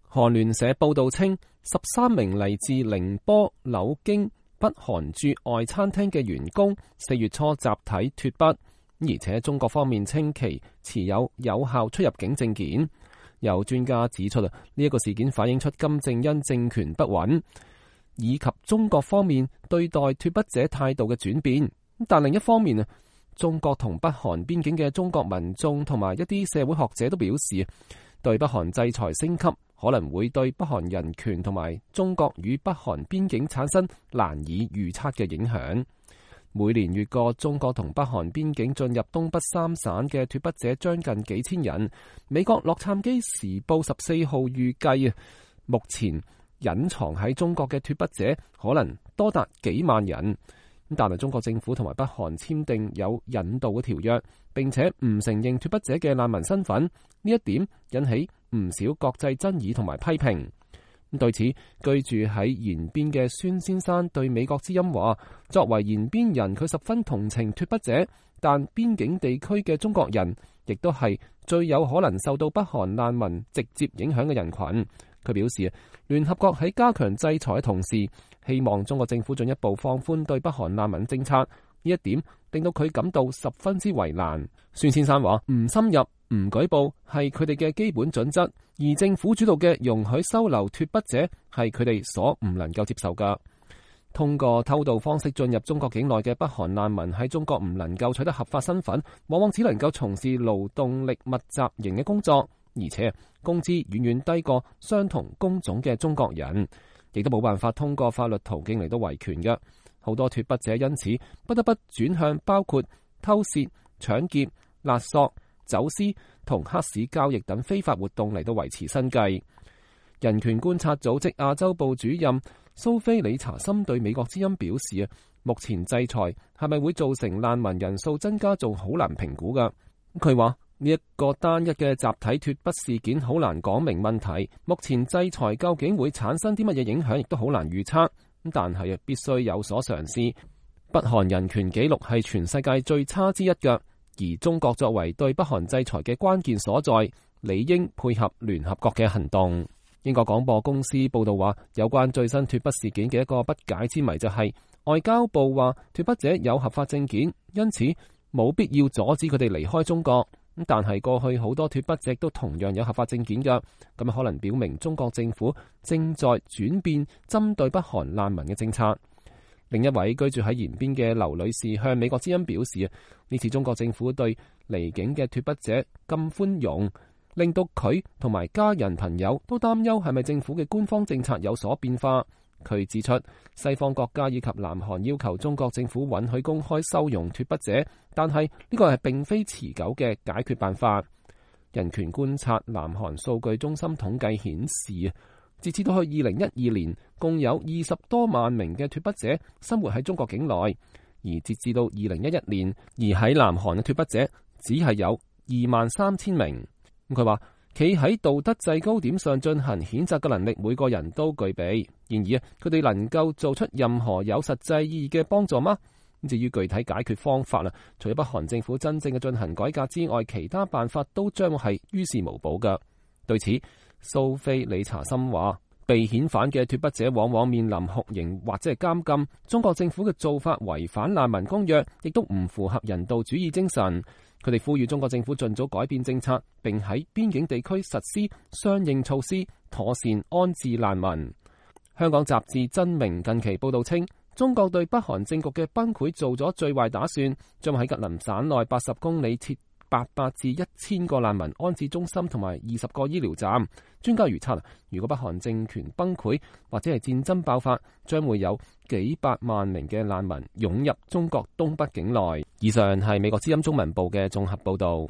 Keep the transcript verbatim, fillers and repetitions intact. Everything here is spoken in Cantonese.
韓聯社報道稱，十三名嚟自寧波、柳京、北韓駐外餐廳嘅員工四月初集體脫北，而且中國方面稱其持有有效出入境證件。有專家指出，呢一個事件反映出金正恩政權不穩，以及中國方面對待脫北者態度嘅轉變。但另一方面啊，中國同北韓邊境嘅中國民眾同埋一啲社會學者都表示，對北韓制裁升級可能會對北韓人權同埋中國與北韓邊境產生難以預測嘅影響。每年越過中國同北韓邊境進入東北三省嘅脫北者將近幾千人。美國洛杉磯時報十四號預計啊，目前隱藏喺中國嘅脫北者可能多達幾萬人。但係中國政府同埋北韓簽訂有引渡嘅條約，並且唔承認脫北者嘅難民身份，呢一點引起唔少國際爭議同埋批評。對此，居住喺延邊嘅孫先生對美國之音話，作為延邊人，佢十分同情脫北者，但邊境地區嘅中國人亦都係最有可能受到北韓難民直接影響嘅人群。佢表示，聯合國喺加強制裁嘅同時，希望中國政府進一步放寬對北韓難民政策，呢一點令到佢感到十分之為難。孫先生話，唔深入、唔舉報係佢哋嘅基本準則，而政府主導嘅容許收留脫北者係佢哋所唔能夠接受㗎。通過偷渡方式進入中國境內嘅北韓難民喺中國唔能夠取得合法身份，往往只能夠從事勞動力密集型嘅工作，而且工資遠遠低過相同工種嘅中國人，亦都冇辦法通過法律途徑嚟到維權嘅。好多脫北者因此不得不轉向包括偷竊、搶劫、勒索、走私同黑市交易等非法活動嚟到維持生計。人權觀察組織亞洲部主任蘇菲理查森對美國之音表示啊，目前制裁係咪會造成難民人數增加，仲好難評估噶。佢話呢一個單一嘅集體脫北事件好難講明問題，目前制裁究竟會產生啲乜嘢影響，亦都好難預測。但係啊，必須有所嘗試。北韓人權紀錄係全世界最差之一嘅，而中國作為對北韓制裁嘅關鍵所在，理應配合聯合國嘅行動。英國廣播公司報道話，有關最新脫北事件嘅一個不解之謎就係，外交部話脫北者有合法證件，因此冇必要阻止佢哋離開中國。但係過去好多脫北者都同樣有合法證件㗎，咁可能表明中國政府正在轉變針對北韓難民嘅政策。另一位居住喺延邊嘅劉女士向美國之音表示，呢次中國政府對離境嘅脫北者咁寬容，令到佢同埋家人朋友都擔憂係咪政府嘅官方政策有所變化。佢指出，西方國家以及南韓要求中國政府允許公開收容脫北者，但係呢個係並非持久嘅解決辦法。人權觀察南韓數據中心統計顯示，截至到去二零一二年，共有二十多萬名嘅脫北者生活喺中國境內，而截至到二零一一年，而喺南韓嘅脫北者只係有二萬三千名。佢話，企喺道德制高點上進行譴責嘅能力，每個人都具備。然而啊，佢哋能夠做出任何有實際意義嘅幫助嗎？至於具體解決方法啦，除咗北韓政府真正嘅進行改革之外，其他辦法都將會係於事無補㗎。對此，蘇菲理查森話，被遣返嘅脫北者往往面臨酷刑或者係監禁。中國政府嘅做法違反難民公約，亦都唔符合人道主義精神。佢哋呼籲中國政府盡早改變政策，並喺邊境地區實施相應措施，妥善安置難民。香港雜誌真明近期報道稱，中國對北韓政局嘅崩潰做咗最壞打算，將喺吉林省內八十公里設八百至一千個難民安置中心同埋二十個醫療站。專家預測，如果北韓政權崩潰或者係戰爭爆發，將會有幾百萬名嘅難民湧入中國東北境內。以上係美國之音中文部嘅綜合報道。